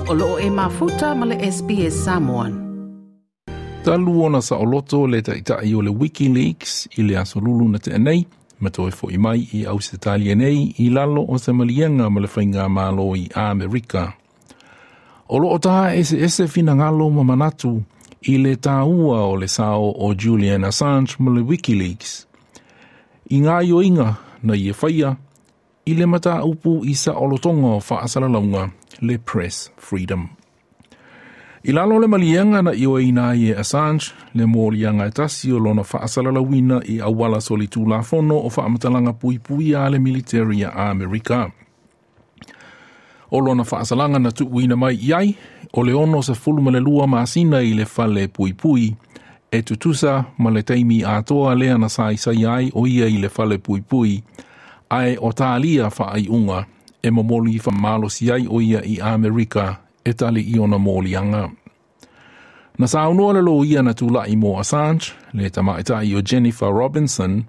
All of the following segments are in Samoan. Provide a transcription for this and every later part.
O loo e mafuta ma le SBS Samoan. Talu ona saoloto le ta'ita'i o le WikiLeaks i le Aso Lulu na te'a nei, ma toe fo'i mai i Ausetalia nei i lalo o se maliega ma le Faigamalo i Amerika. O loo tā eseese finagalo ma manatu i le tāua o le sao o Julian Assange ma le WikiLeaks. I gaoioiga na ia faia i le mataupu i saolotoga o faasalalauga le press freedom. I lalo o le maliega na ioeina ai e Assange le moliaga e tasi o lona faasalalauina i auala solitulafono o faamatalaga puipuia a le militeri a Amerika. O lona faasalaga na tuuina mai i ai, o le 62 masina i le fale puipui, e tutusa ma le taimi atoa lea na saisai ai o ia i le fale puipui, ae o talia faaiuga e momoli faamalosi ai o ia i Amerika e tali i ona moliaga. Na saunoa le loia na tula'i mo Assange, le tamaita'i o Jennifer Robinson,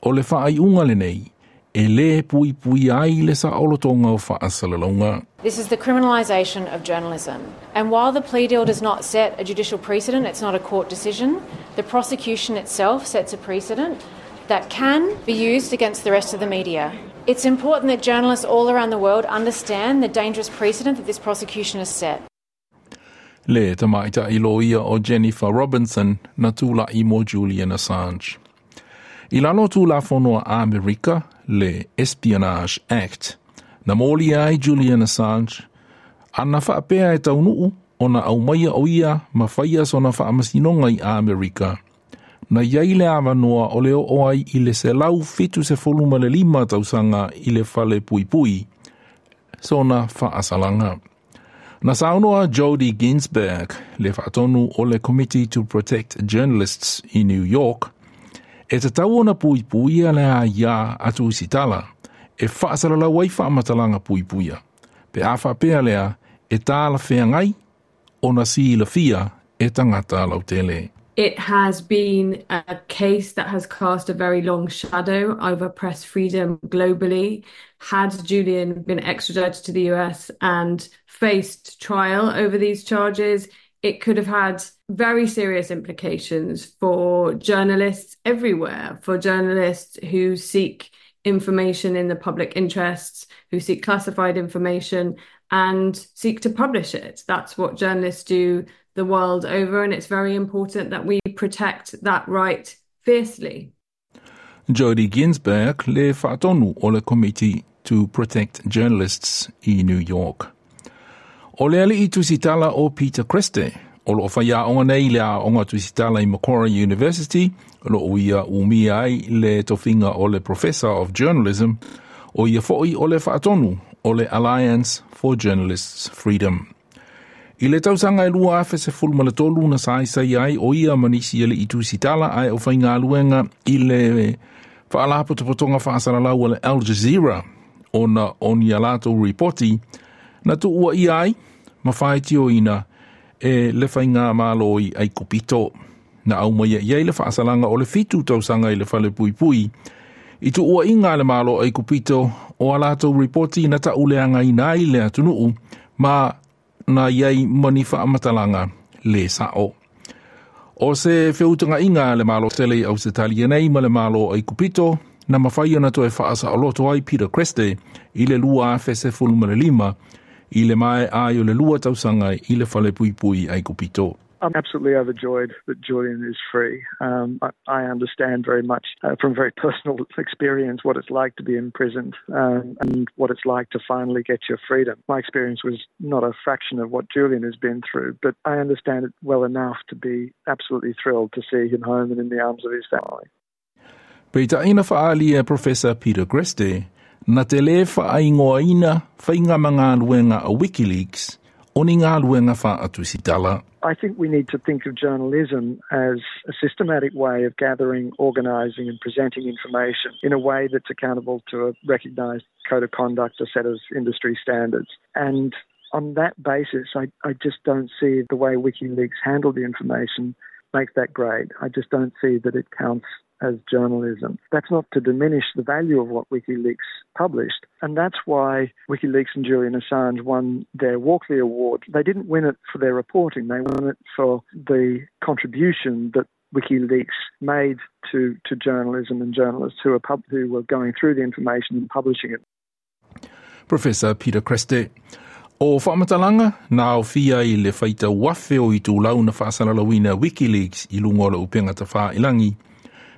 o le faaiuga lenei, e lē puipuia ai le saolotoga o faasalalauga. This is the criminalisation of journalism. And while the plea deal does not set a judicial precedent, it's not a court decision, the prosecution itself sets a precedent that can be used against the rest of the media. It's important that journalists all around the world understand the dangerous precedent that this prosecution has set. Le tamaita'i loia o Jennifer Robinson na tula'i mo Julian Assange. I lalo Tulafono a Amerika, le Espionage Act, na molia ai Julian Assange, ana faapea e taunuu ona aumaia o ia ma faia sona faamasinoga i Amerika. Na iai le avanoa o le oo ai i le 175 tausaga i le fale puipui, sona faasalaga. Na saunoa Jodie Ginsberg, le faatonu o le Committee to Protect Journalists i New York, e tatau ona puipuia le aiā a tusitala e faasalalau ai faamatalaga puipuia. Pe a faapea lea e talafeagai ona silafia e tagata lautele. It has been a case that has cast a very long shadow over press freedom globally. Had Julian been extradited to the US and faced trial over these charges, it could have had very serious implications for journalists everywhere, for journalists who seek information in the public interests, who seek classified information and seek to publish it. That's what journalists do the world over, and it's very important that we protect that right fiercely. Jodie Ginsberg, le faatonu o le Committee to Protect Journalists i New York. O le ali'i tusitala o Peter Greste, o loo faiaoga nei le aoga tusitala i Macquarie University, o loo ia umia ai le tofiga o le Professor of Journalism, o ia fo'i o le faatonu o le Alliance for Journalists Freedom. I le tausaga e 2013 na saisai ai o ia ma nisi ali'i tusitala ae o faigaluega i le faalapotopotoga faasalalau a le Al Jazeera ona o ni a latou ripoti na tuuaia ai ma faitioina e le faigamalo i Aikupito. Na aumaia i ai le faasalaga o le 7 tausaga i le fale puipui. I tuuaiga a le Malo Aikupito o a latou ripoti na ta'uleagaina ai le atunuu ma na i ai ma ni faamatalaga lē sa'o. O se feutagaiga a le Malo tele i Ausetalia nei ma le Malo Aikupito na mafai ona toe faasaoloto ai Peter Greste i le 2015 i le maea ai o le 2 tausaga i le fale puipui Aikupito. I'm absolutely overjoyed that Julian is free. I understand very much from very personal experience what it's like to be imprisoned and what it's like to finally get your freedom. My experience was not a fraction of what Julian has been through, but I understand it well enough to be absolutely thrilled to see him home and in the arms of his family. Peitai na faaali e Professor Peter Greste, na te lē faaigoaina faiga ma galuega a WikiLeaks o ni galuega faatusitala. I think we need to think of journalism as a systematic way of gathering, organising and presenting information in a way that's accountable to a recognised code of conduct, a set of industry standards. And on that basis, I just don't see the way WikiLeaks handled the information makes that grade. I just don't see that it counts as journalism. That's not to diminish the value of what WikiLeaks published, and that's why WikiLeaks and Julian Assange won their Walkley Award. They didn't win it for their reporting, they won it for the contribution that WikiLeaks made to journalism and journalists who were going through the information and publishing it. Professor Peter Greste. O whaamatalaga na aofia i le faitauafe o itulau na faasalalauina WikiLeaks i luga o le upega tafailagi.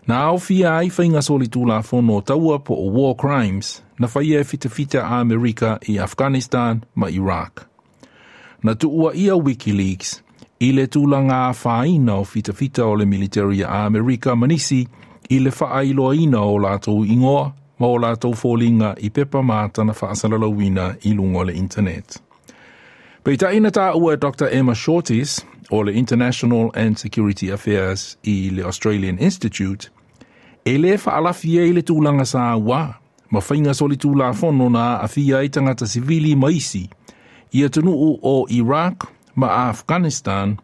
Na aofia ai faiga solitulafono o taua po o war crimes na faia e fitafita a Amerika i Afghanistan ma Iraq. Na tuuaia WikiLeaks i le tulaga afaina o fitafita o le military a Amerika ma nisi i le faailoaina o latou igoa ma o latou foliga i pepa ma ata na faasalalauina i luga o le internet. Peitai na taua e Dr. Emma Shortis o le International and Security Affairs i le Australian Institute, e lē faalafi ai le tulaga sauā ma faiga solitulafono na aafia ai tagata sivili ma isi i atunuu o Iraq ma Afghanistan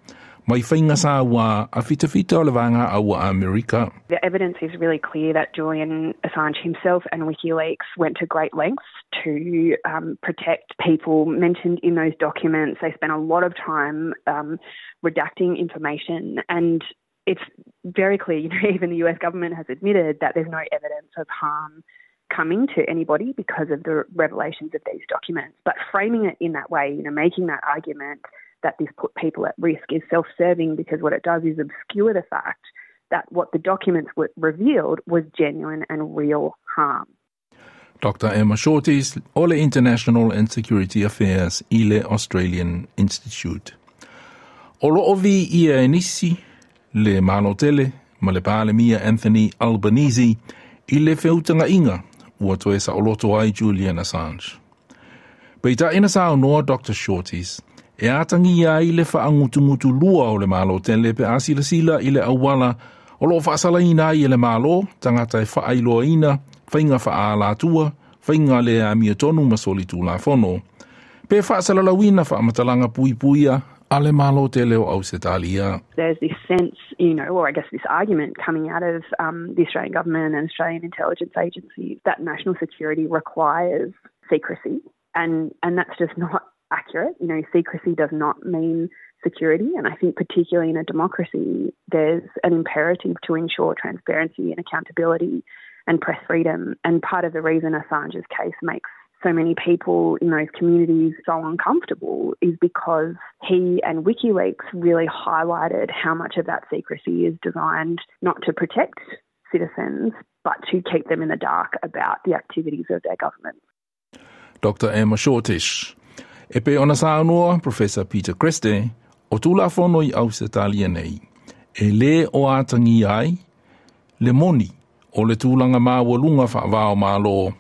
mai faiga sauā a fitafita o le Vaega Aua Amerika. The evidence is really clear that Julian Assange himself and WikiLeaks went to great lengths to protect people mentioned in those documents. They spent a lot of time redacting information, and it's very clear, you know, even the US government has admitted that there's no evidence of harm coming to anybody because of the revelations of these documents. But framing it in that way, you know, making that argument that this put people at risk is self-serving, because what it does is obscure the fact that what the documents were revealed was genuine and real harm. Dr. Emma Shortis o le International and Security Affairs i le Australian Institute. O loo viia e nisi le Malo tele ma le Palemia Anthony Albanese i le feutagaiga ua toe saoloto ai Julian Assange. Peitai na saunoa Dr. Shortis e atagia ai le faagutugutulua o le Malo tele pe a silasila i le auala o loo faasalaina ai e le Malo tagata e faailoaina faiga faaalatua, faiga le amiotonu ma solitulafono, pe faasalalauina faamatalaga puipuia a le Malo tele o Ausetalia. There's this sense, you know, or I guess this argument coming out of the Australian government and Australian intelligence agencies that national security requires secrecy, and that's just not accurate. You know, secrecy does not mean security, and I think particularly in a democracy, there's an imperative to ensure transparency and accountability and press freedom. And part of the reason Assange's case makes so many people in those communities so uncomfortable is because he and WikiLeaks really highlighted how much of that secrecy is designed not to protect citizens, but to keep them in the dark about the activities of their government. Dr. Emma Shortish. E pei ona saunoa Professor Peter Greste, o Tulafono i Ausetalia nei, e lē o atagia ai le moni o le tulaga maualuga faavao malo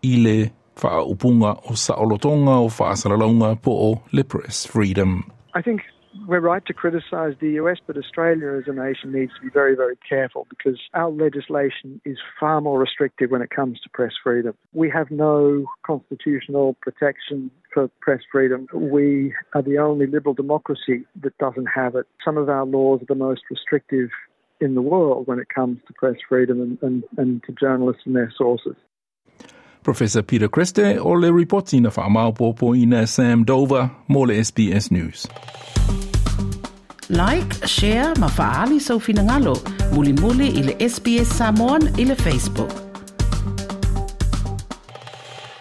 i le faaupuga o saolotoga o faasalalauga po o le press freedom. I think we're right to criticise the US, but Australia as a nation needs to be very, very careful because our legislation is far more restrictive when it comes to press freedom. We have no constitutional protection for press freedom. We are the only liberal democracy that doesn't have it. Some of our laws are the most restrictive in the world when it comes to press freedom and to journalists and their sources. Professor Peter Greste o le ripoti na faamaopoopoina Sam Dover mo le SBS News. Like, share ma faaali sou finagalo. Mulimuli i le SBS Samoan i le Facebook.